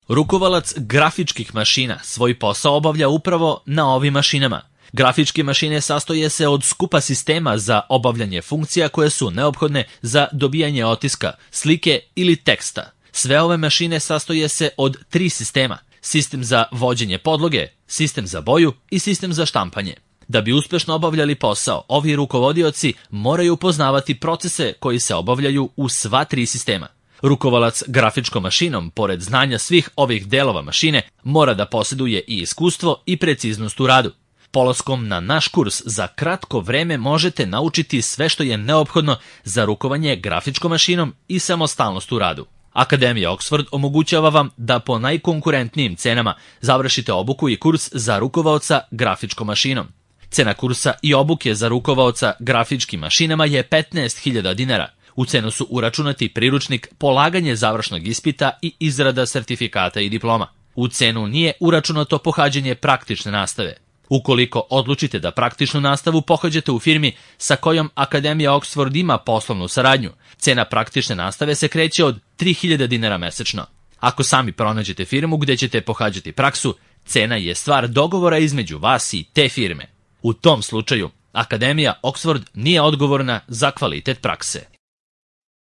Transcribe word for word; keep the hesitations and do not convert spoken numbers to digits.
Rukovalac grafičkih mašina svoj posao obavlja upravo na ovim mašinama. Grafičke mašine sastoje se od skupa sistema za obavljanje funkcija koje su neophodne za dobijanje otiska, slike ili teksta. Sve ove mašine sastoje se od tri sistema: sistem za vođenje podloge, sistem za boju i sistem za štampanje. Da bi uspešno obavljali posao, ovi rukovodioci moraju poznavati procese koji se obavljaju u sva tri sistema. Rukovalac grafičkom mašinom, pored znanja svih ovih delova mašine, mora da posjeduje i iskustvo i preciznost u radu. Polaskom na naš kurs za kratko vreme možete naučiti sve što je neophodno za rukovanje grafičkom mašinom i samostalnost u radu. Akademija Oxford omogućava vam da po najkonkurentnijim cenama završite obuku i kurs za rukovaoca grafičkom mašinom. Cena kursa i obuke za rukovaoca grafičkim mašinama je petnaest hiljada dinara. U cenu su uračunati priručnik, polaganje završnog ispita i izrada sertifikata i diploma. U cenu nije uračunato pohađanje praktične nastave. Ukoliko odlučite da praktičnu nastavu pohađate u firmi sa kojom Akademija Oxford ima poslovnu saradnju, cena praktične nastave se kreće od tri hiljade dinara mesečno. Ako sami pronađete firmu gde ćete pohađati praksu, cena je stvar dogovora između vas i te firme. U tom slučaju, Akademija Oxford nije odgovorna za kvalitet prakse.